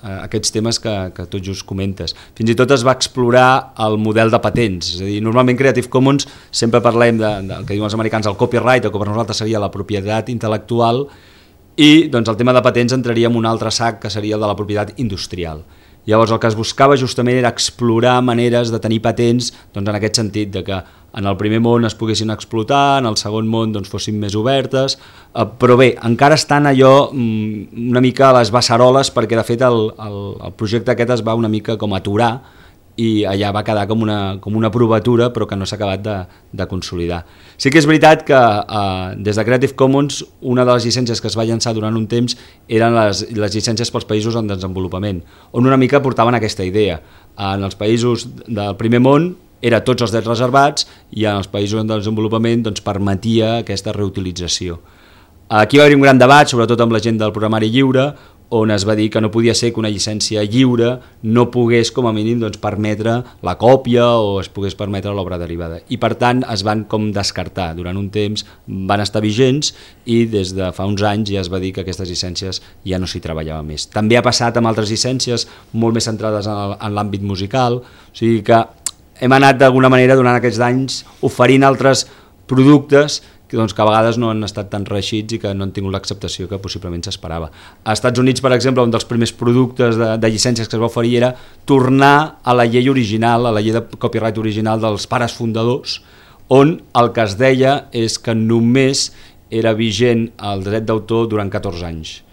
aquests temes que tot just comentes. Fins i tot es va explorar el model de patents, és a dir, normalment Creative Commons sempre parlem del que diuen els americans, el copyright, o que per nosaltres seria la propietat intel·lectual, i el tema de patents entraria en un altre sac que seria el de la propietat industrial. Llavors el que es buscava justament era explorar maneres de tenir patents en aquest sentit, de que en el primer món es poguessin explotar, en el segon món fossin més obertes, però bé, encara estan allò una mica a les beceroles, perquè de fet el projecte aquest es va una mica com aturar i allà va quedar com una provatura, però que no s'ha acabat de consolidar. Sí que és veritat que des de Creative Commons una de les llicències que es va llançar durant un temps eren les llicències pels països en desenvolupament, on una mica portaven aquesta idea. En els països del primer món era tots els drets reservats i en els països en desenvolupament permetia aquesta reutilització. Aquí va haver un gran debat, sobretot amb la gent del programari lliure, on es va dir que no podia ser que una llicència lliure no pogués com a mínim permetre la còpia o es pogués permetre l'obra derivada. I per tant es van com descartar. Durant un temps van estar vigents i des de fa uns anys ja es va dir que aquestes llicències ja no s'hi treballava més. També ha passat amb altres llicències molt més centrades en l'àmbit musical, o sigui que hem anat d'alguna manera durant aquests anys oferint altres productes que a vegades no han estat tan reeixits i que no han tingut l'acceptació que possiblement s'esperava. Als Estats Units, per exemple, un dels primers productes de llicències que es va oferir era tornar a la llei original, a la llei de copyright original dels pares fundadors, on el que es deia és que només era vigent el dret d'autor durant 14 anys.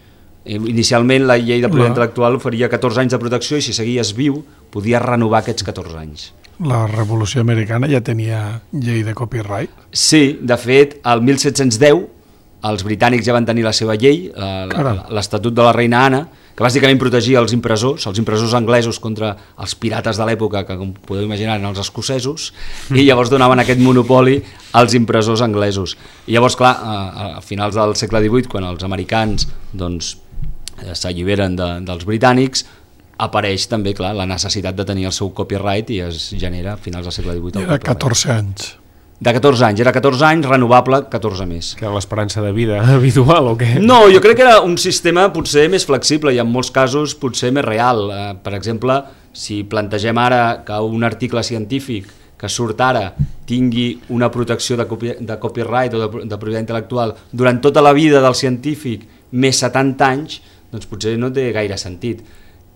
Inicialment la llei de propietat intel·lectual oferia 14 anys de protecció i si seguies viu podies renovar aquests 14 anys. La Revolució Americana ja tenia llei de copyright? Sí, de fet, el 1710 els britànics ja van tenir la seva llei, l'Estatut de la Reina Anna, que bàsicament protegia els impressors anglesos contra els pirates de l'època, que com podeu imaginar eren els escocesos, i llavors donaven aquest monopoli als impressors anglesos. I llavors, clar, a finals del segle XVIII, quan els americans s'alliberen dels britànics, apareix també, clar, la necessitat de tenir el seu copyright i es genera a finals del segle XVIII. Era 14 anys. De 14 anys, era 14 anys, renovable 14 més. Que era l'esperança de vida habitual o què? No, jo crec que era un sistema potser més flexible i en molts casos potser més real. Per exemple, si plantegem ara que un article científic que surt ara tingui una protecció de copyright o de propietat intel·lectual durant tota la vida del científic més 70 anys, doncs potser no té gaire sentit.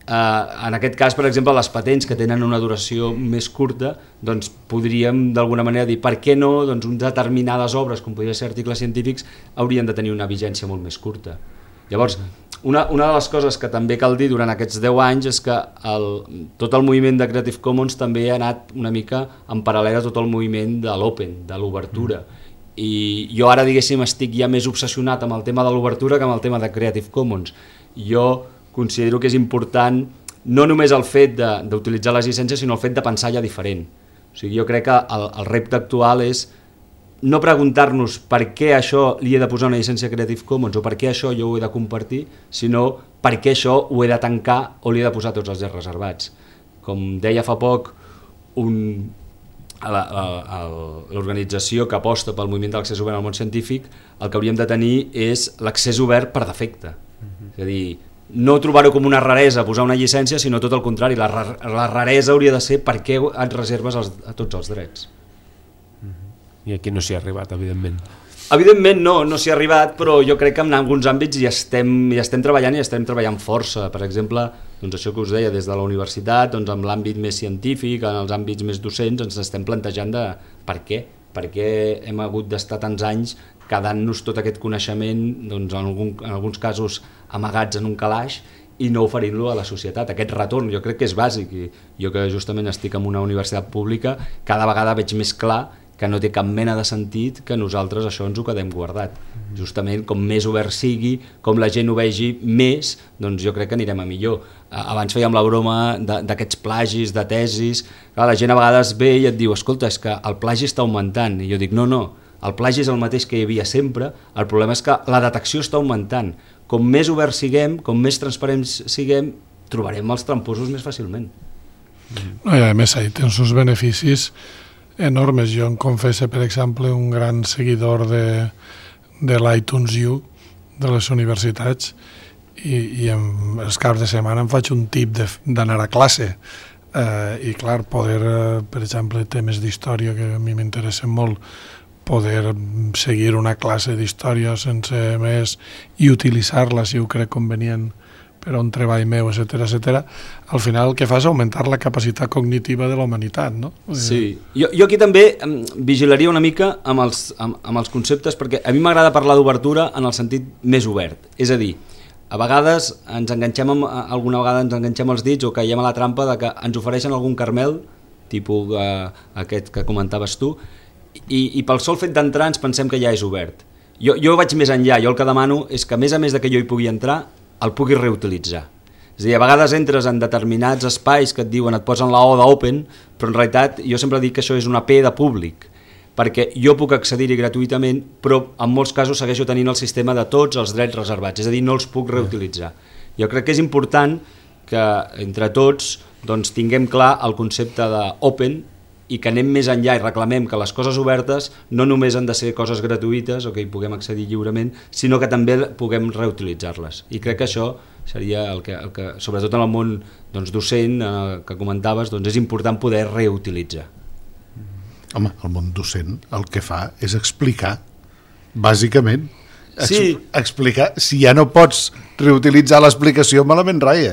En aquest cas, per exemple, les patents que tenen una duració més curta, doncs podríem d'alguna manera dir per què no unes determinades obres, com podrien ser articles científics, haurien de tenir una vigència molt més curta. Llavors, una de les coses que també cal dir durant aquests 10 anys és que tot el moviment de Creative Commons també ha anat una mica en paral·lel a tot el moviment de l'open, de l'obertura. I jo ara, diguéssim, estic ja més obsessionat amb el tema de l'obertura que amb el tema de Creative Commons. Jo considero que és important no només el fet d'utilitzar les llicències, sinó el fet de pensar ja diferent. O sigui, jo crec que el repte actual és no preguntar-nos per què això li he de posar una llicència Creative Commons o per què això jo ho he de compartir, sinó per què això ho he de tancar o li he de posar tots els drets reservats. Com deia fa poc l'organització que aposta pel moviment de l'accés obert al món científic, el que hauríem de tenir és l'accés obert per defecte. És a dir, no trobar-ho com una raresa posar una llicència, sinó tot el contrari, la raresa hauria de ser per què et reserves a tots els drets. I aquí no s'hi ha arribat, evidentment. Evidentment no s'hi ha arribat, però jo crec que en alguns àmbits hi estem treballant i estem treballant força. Per exemple, doncs això que us deia, des de la universitat, doncs amb l'àmbit més científic, en els àmbits més docents, ens estem plantejant de per què hem hagut d'estar tants anys quedant-nos tot aquest coneixement, doncs, en alguns casos amagats en un calaix, i no oferint-lo a la societat. Aquest retorn jo crec que és bàsic, i jo que justament estic en una universitat pública cada vegada veig més clar que no té cap mena de sentit que nosaltres això ens ho quedem guardat. Justament com més obert sigui, com la gent ho vegi més, doncs jo crec que anirem a millor. Abans fèiem la broma d'aquests plagis, de tesis. Clar, la gent a vegades ve i et diu, escolta, és que el plagi està augmentant, i jo dic, no, el plagi és el mateix que hi havia sempre, el problema és que la detecció està augmentant. Com més oberts siguem, com més transparents siguem, trobarem els tramposos més fàcilment. No, i a més, ahí tens uns beneficis enormes. Jo em confesso, per exemple, un gran seguidor de l'iTunes U de les universitats, i els caps de setmana em faig un tip d'anar a classe, i clar, poder, per exemple, temes d'història que a mi m'interessen molt, poder seguir una classe d'història sense més i utilitzar-la si ho crec convenient per a un treball meu, etc. Al final el que fa és augmentar la capacitat cognitiva de la humanitat, no? Sí, jo aquí també vigilaria una mica amb els conceptes, perquè a mi m'agrada parlar d'obertura en el sentit més obert, és a dir, a vegades alguna vegada ens enganxem els dits o caiem a la trampa de que ens ofereixen algun caramel, tipus aquest que comentaves tu, i pel sol fet d'entrar ens pensem que ja és obert. Jo vaig més enllà, jo el que demano és que a més de que jo hi pugui entrar, el puguis reutilitzar. És a dir, a vegades entres en determinats espais que et diuen, et posen la O d'open, però en realitat jo sempre dic que això és una P de públic, perquè jo puc accedir-hi gratuïtament, però en molts casos segueixo tenint el sistema de tots els drets reservats, és a dir, no els puc reutilitzar. Jo crec que és important que entre tots doncs, tinguem clar el concepte d'open i que anem més enllà i reclamem que les coses obertes no només han de ser coses gratuïtes o que hi puguem accedir lliurement, sinó que també puguem reutilitzar-les. I crec que això seria el que sobretot en el món docent que comentaves, és important poder reutilitzar. Home, el món docent el que fa és explicar, bàsicament. Sí. Explicar. Si ja no pots reutilitzar l'explicació, malament rai,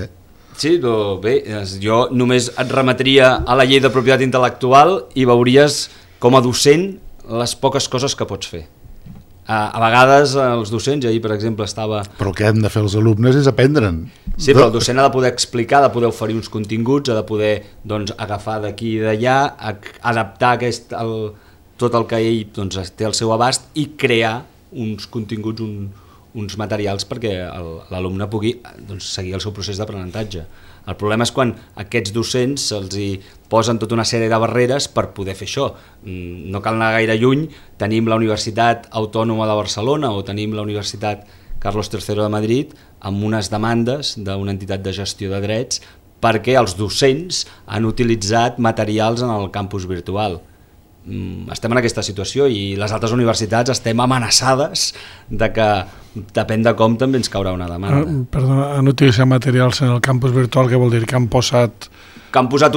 Sí, però bé, jo només et remetria a la llei de propietat intel·lectual i veuries com a docent les poques coses que pots fer. A vegades els docents, ahir per exemple estava... Però el que hem de fer els alumnes és aprendre'n. Sí, però el docent ha de poder explicar, ha de poder oferir uns continguts, ha de poder agafar d'aquí i d'allà, adaptar tot el que ell té al seu abast i crear uns continguts, uns materials perquè l'alumne pugui seguir el seu procés d'aprenentatge. El problema és quan aquests docents se'ls hi posen tota una sèrie de barreres per poder fer això. No cal anar gaire lluny, tenim la Universitat Autònoma de Barcelona o tenim la Universitat Carlos III de Madrid amb unes demandes d'una entitat de gestió de drets perquè els docents han utilitzat materials en el campus virtual. Estem en aquesta situació i les altres universitats estem amenaçades de que depèn de com també ens caurà una demanda. Perdona, han utilitzat materials en el campus virtual, què vol dir? Que han posat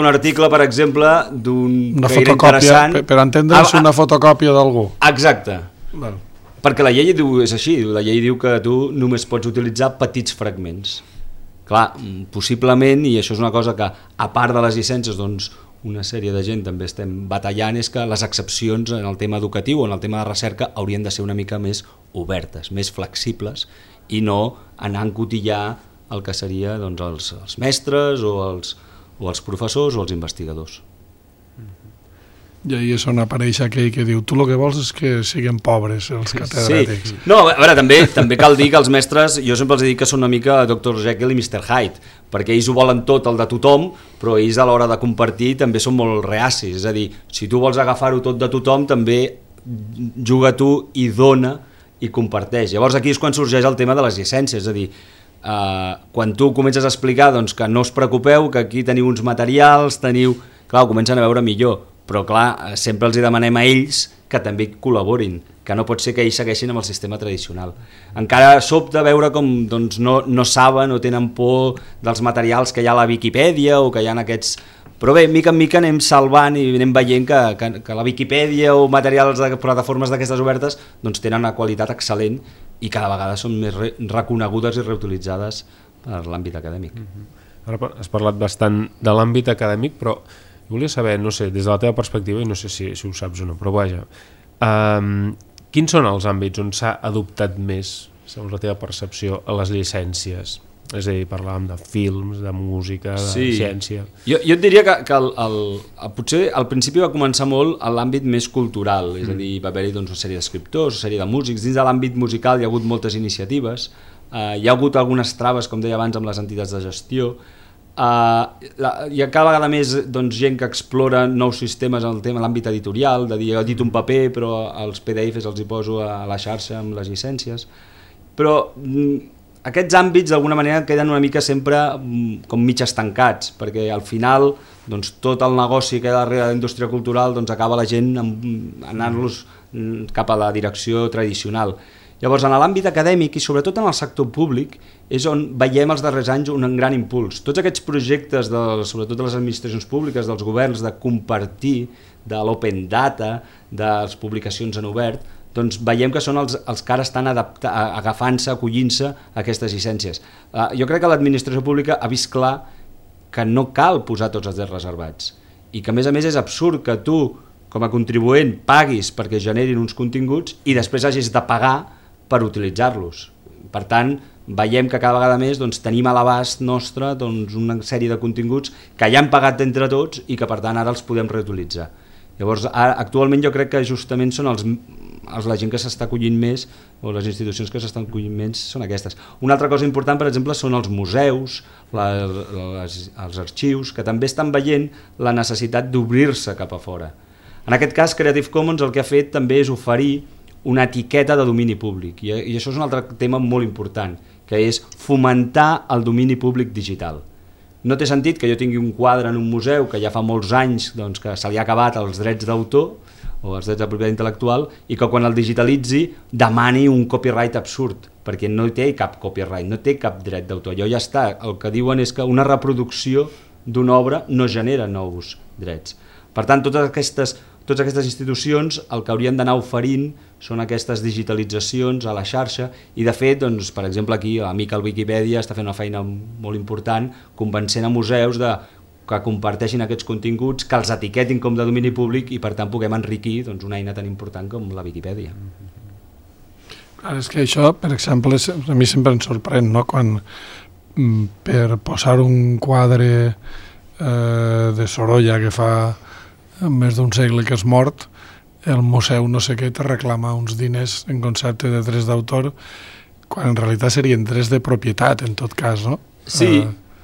un article, per exemple, una fotocòpia, per entendre's, una fotocòpia d'algú. Exacte. Val. Perquè la llei és així, la llei diu que tu només pots utilitzar petits fragments. Clar, possiblement, i això és una cosa que a part de les llicències, una sèrie de gent també estem batallant, és que les excepcions en el tema educatiu o en el tema de recerca haurien de ser una mica més obertes, més flexibles i no anar a encotillar el que seria els mestres o els professors o els investigadors. I ahí és on apareix aquell que diu tu el que vols és que siguin pobres els catedràtics. Sí. No, a veure, també cal dir que els mestres, jo sempre els dic que són una mica Dr. Jekyll i Mr. Hyde, perquè ells ho volen tot, el de tothom, però ells a l'hora de compartir també són molt reacis, és a dir, si tu vols agafar-ho tot de tothom, també juga tu i dona i comparteix. Llavors aquí és quan sorgeix el tema de les llicències, és a dir, quan tu comences a explicar que no us preocupeu, que aquí teniu uns materials, clar, ho comencen a veure millor, però clar, sempre els demanem a ells que també col·laborin, que no pot ser que ells segueixin amb el sistema tradicional. Encara sobta veure com no saben o tenen por dels materials que hi ha a la Viquipèdia o que hi ha aquests... Però bé, mica en mica anem salvant i anem veient que la Viquipèdia o materials de plataformes d'aquestes obertes tenen una qualitat excel·lent i cada vegada són més reconegudes i reutilitzades per l'àmbit acadèmic. Ara has parlat bastant de l'àmbit acadèmic, però volia saber, no sé, des de la teva perspectiva, i no sé si ho saps o no, però vaja, Quins són els àmbits on s'ha adoptat més, segons la teva percepció, a les llicències? És a dir, parlàvem de films, de música, de ciència... Jo et diria que potser al principi va començar molt a l'àmbit més cultural, és a dir, va haver-hi una sèrie d'escriptors, una sèrie de músics. Dins de l'àmbit musical hi ha hagut moltes iniciatives, hi ha hagut algunes traves, com deia abans, amb les entitats de gestió. Hi ha cada vegada més gent que explora nous sistemes en el tema de l'àmbit editorial, de dir, he edito un paper però els PDFs els hi poso a la xarxa amb les llicències, però aquests àmbits d'alguna manera queden una mica sempre com mig estancats, perquè al final tot el negoci que hi ha darrere de la indústria cultural acaba la gent anant-los cap a la direcció tradicional. Llavors, en l'àmbit acadèmic i sobretot en el sector públic és on veiem els darrers anys un gran impuls. Tots aquests projectes, sobretot de les administracions públiques, dels governs, de compartir, de l'open data, de les publicacions en obert, doncs veiem que són els que ara estan agafant-se, acollint-se a aquestes llicències. Jo crec que l'administració pública ha vist clar que no cal posar tots els drets reservats i que a més és absurd que tu, com a contribuent, paguis perquè generin uns continguts i després hagis de pagar per utilitzar-los. Per tant, veiem que cada vegada més tenim a l'abast nostre una sèrie de continguts que ja han pagat entre tots i que per tant ara els podem reutilitzar. Llavors, actualment jo crec que justament són la gent que s'està acollint més, o les institucions que s'estan acollint més són aquestes. Una altra cosa important, per exemple, són els museus, els arxius, que també estan veient la necessitat d'obrir-se cap a fora. En aquest cas, Creative Commons el que ha fet també és oferir una etiqueta de domini públic, i això és un altre tema molt important, que és fomentar el domini públic digital. No té sentit que jo tingui un quadre en un museu que ja fa molts anys que se li ha acabat els drets d'autor o els drets de propietat intel·lectual i que quan el digitalitzi demani un copyright absurd, perquè no té cap copyright, no té cap dret d'autor. Allò ja està, el que diuen és que una reproducció d'una obra no genera nous drets. Per tant, totes aquestes institucions el que haurien d'anar oferint són aquestes digitalitzacions a la xarxa i de fet, per exemple aquí l'amic al Wikipedia està fent una feina molt important convencent a museus que comparteixin aquests continguts, que els etiquetin com de domini públic i per tant puguem enriquir una eina tan important com la Wikipedia. Clar, és que això, per exemple, a mi sempre em sorprèn, no? Quan per posar un quadre de Sorolla que fa més d'un segle que és mort, el museu no sé què te reclama uns diners en concepte de drets d'autor, quan en realitat serien drets de propietat, en tot cas, no? Sí,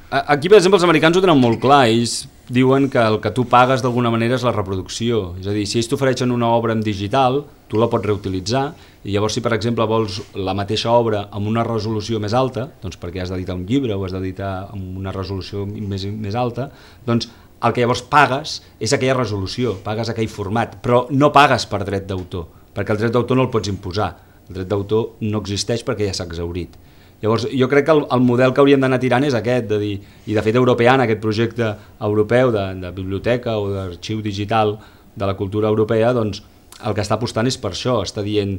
aquí per exemple els americans ho tenen molt clar, ells diuen que el que tu pagues d'alguna manera és la reproducció, és a dir, si ells t'ofereixen una obra en digital, tu la pots reutilitzar, i llavors si per exemple vols la mateixa obra amb una resolució més alta, doncs perquè has d'editar un llibre o has d'editar amb una resolució més alta, doncs el que llavors pagues és aquella resolució, pagues aquell format, però no pagues per dret d'autor, perquè el dret d'autor no el pots imposar, el dret d'autor no existeix perquè ja s'ha exhaurit. Llavors jo crec que el model que hauríem d'anar tirant és aquest, de dir, i de fet Europeana, aquest projecte europeu de biblioteca o d'arxiu digital de la cultura europea, doncs el que està apostant és per això, està dient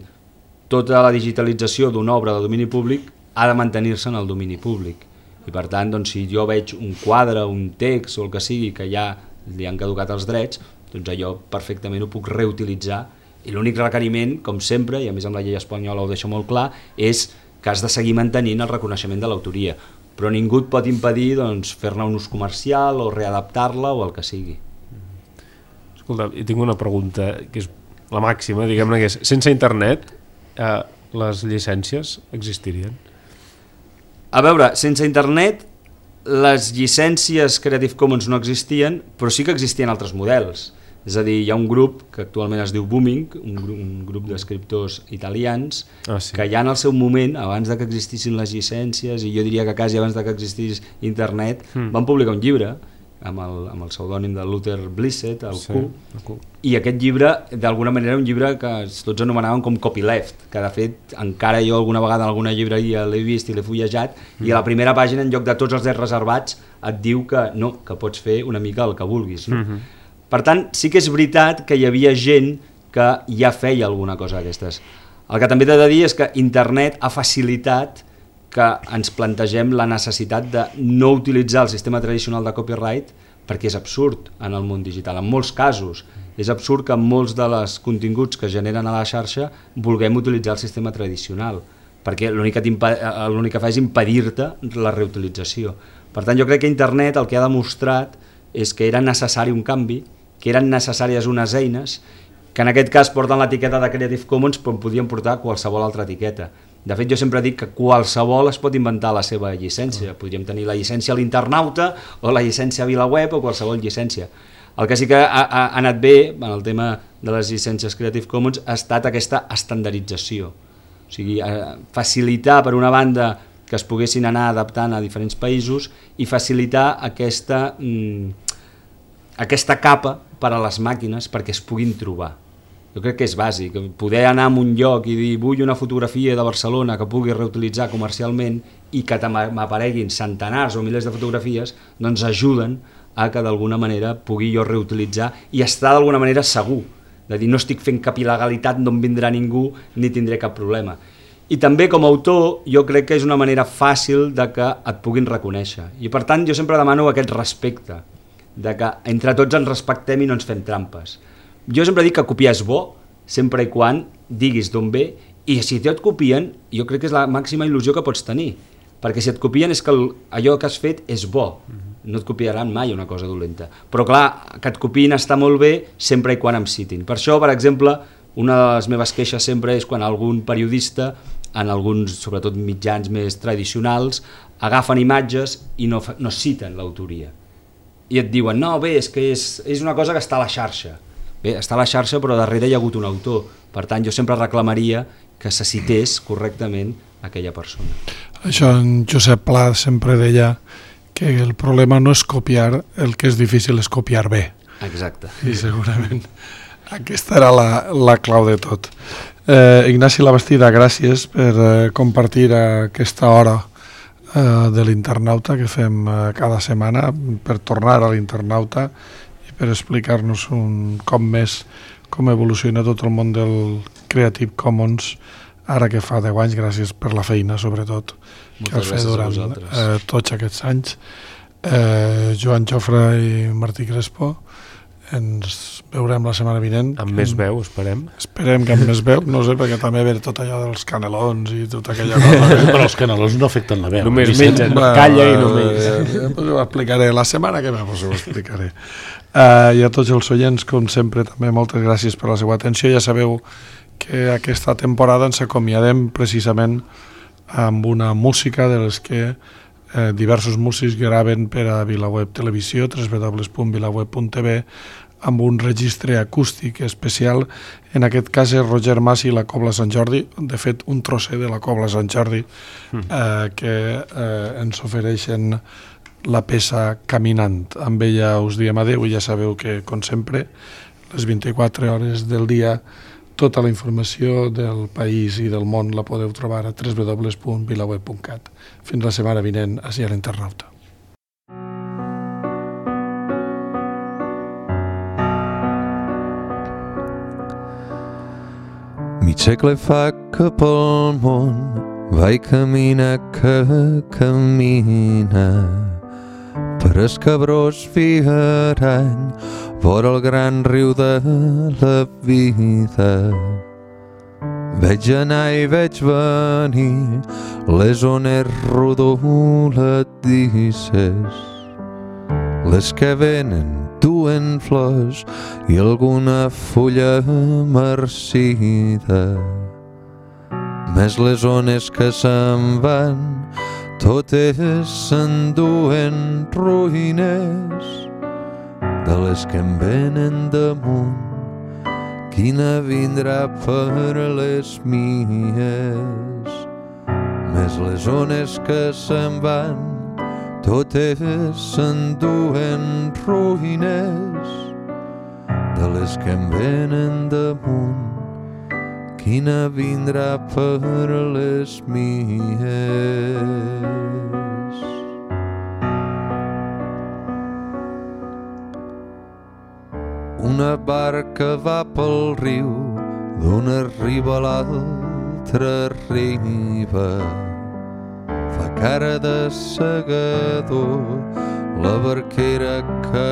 tota la digitalització d'una obra de domini públic ha de mantenir-se en el domini públic. I per tant, si jo veig un quadre, un text o el que sigui que ja li han caducat els drets, doncs allò perfectament ho puc reutilitzar i l'únic requeriment, com sempre, i a més amb la llei espanyola ho deixa molt clar, és que has de seguir mantenint el reconeixement de l'autoria, però ningú et pot impedir fer-ne un ús comercial o readaptar-la o el que sigui. Escolta, tinc una pregunta que és la màxima, diguem-ne, que és, sense internet les llicències existirien? A veure, sense internet les llicències Creative Commons no existien, però sí que existien altres models. És a dir, hi ha un grup que actualment es diu Booming, un grup d'escriptors italians, que ja en el seu moment, abans de que existissin les llicències, i jo diria que quasi abans de que existís internet, van publicar un llibre amb el pseudònim de Luther Blissett, el Q, i aquest llibre d'alguna manera era un llibre que tots anomenaven com copyleft, que de fet encara jo alguna vegada en alguna llibreria l'he vist i l'he fullejat, i a la primera pàgina en lloc de tots els drets reservats et diu que no, que pots fer una mica el que vulguis, no? Per tant, sí que és veritat que hi havia gent que ja feia alguna cosa d'aquestes. El que també t'he de dir és que internet ha facilitat que ens plantegem la necessitat de no utilitzar el sistema tradicional de copyright perquè és absurd en el món digital, en molts casos. És absurd que en molts dels continguts que generen a la xarxa vulguem utilitzar el sistema tradicional, perquè l'únic que fa és impedir-te la reutilització. Per tant, jo crec que internet el que ha demostrat és que era necessari un canvi, que eren necessàries unes eines, que en aquest cas porten l'etiqueta de Creative Commons, però podien portar qualsevol altra etiqueta. De fet, jo sempre dic que qualsevol es pot inventar la seva llicència. Podríem tenir la llicència a l'internauta o la llicència a VilaWeb o qualsevol llicència. El que sí que ha anat bé en el tema de les llicències Creative Commons ha estat aquesta estandardització. O sigui, facilitar, per una banda, que es poguessin anar adaptant a diferents països i facilitar aquesta capa per a les màquines perquè es puguin trobar. Jo crec que és bàsic, poder anar a un lloc i dir vull una fotografia de Barcelona que pugui reutilitzar comercialment i que m'apareguin centenars o milers de fotografies, doncs ajuden a que d'alguna manera pugui jo reutilitzar i estar d'alguna manera segur, de dir no estic fent cap il·legalitat, no em vindrà ningú ni tindré cap problema. I també com a autor jo crec que és una manera fàcil de que et puguin reconèixer i per tant jo sempre demano aquest respecte, de que entre tots ens respectem i no ens fem trampes. Jo sempre dic que copiar és bo, sempre i quan diguis d'on ve, i si et copien, jo crec que és la màxima il·lusió que pots tenir, perquè si et copien és que allò que has fet és bo, no et copiaran mai una cosa dolenta. Però clar, que et copiïn està molt bé sempre i quan em citin. Per això, per exemple, una de les meves queixes sempre és quan algun periodista, en alguns, sobretot mitjans més tradicionals, agafen imatges i no citen l'autoria. I et diuen, no, bé, és que és una cosa que està a la xarxa. Bé, està a la xarxa però darrere hi ha hagut un autor, per tant jo sempre reclamaria que se cités correctament aquella persona. Això en Josep Pla sempre deia que el problema no és copiar, el que és difícil és copiar bé. Exacte. I segurament aquesta era la clau de tot. Ignasi Labastida, gràcies per compartir aquesta hora de l'internauta que fem cada setmana, per tornar a l'internauta i per explicar-nos un cop més com evoluciona tot el món del Creative Commons ara que fa 10 anys. Gràcies per la feina, sobretot, que has fet durant tots aquests anys. Joan Jofre i Martí Crespo, ens veurem la setmana vinent. Amb més veu, esperem. Esperem que amb més veu, no sé, perquè també ve tot allò dels canelons i tota aquella cosa. Però els canelons no afecten la veu. Només mengen, calla i només. Ho explicaré, la setmana que ve ho explicaré. I a tots els oients, com sempre, també moltes gràcies per la seva atenció. Ja sabeu que aquesta temporada ens acomiadem precisament amb una música de les que diversos músics graven per a VilaWeb Televisió, www.vilaweb.tv, amb un registre acústic especial. En aquest cas és Roger Mas i la Cobla Sant Jordi, de fet un trosser de la Cobla Sant Jordi, que ens ofereixen la peça Caminant. Amb ella us diem adeu i ja sabeu que, com sempre, les 24 hores del dia, tota la informació del país i del món la podeu trobar a www.vilaweb.cat. Fins la setmana vinent, ací a l'internauta. Mig segle fa que pel món vaig caminar que camina per el cabrós fiarany vora el gran riu de la vida. Veig anar i veig venir les ones rodoladisses, les que venen duen flors i alguna fulla marcida. Més les ones que se'n van, totes s'enduen ruïnes de les que em venen damunt. Quina vindrà per les mies? Més les ones que se'n van, totes s'enduen ruïnes de les que em venen damunt. Quina vindrà per les mies? Una barca va pel riu, d'una riba a l'altra riba. Fa cara de segador, la barquera que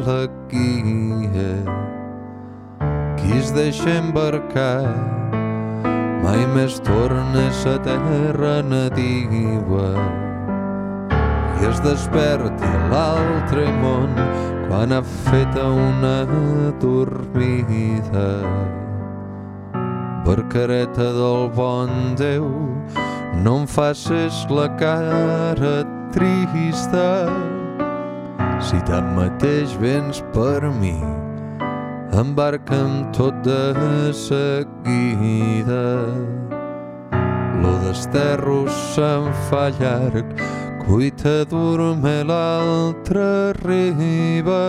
la guia. Qui es deixa embarcar mai més torna a sa terra nativa i es desperta a l'altre món quan ha fet una dormida. Barcareta del bon Déu, no em facis la cara trista. Si tanmateix vens per mi, embarca'm tot de seguida. Lo desterro se'n fa llarg, cuita dorme l'altra riba,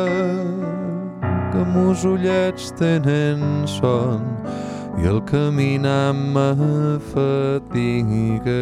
que mos ullets tenen son i el caminar me fatiga.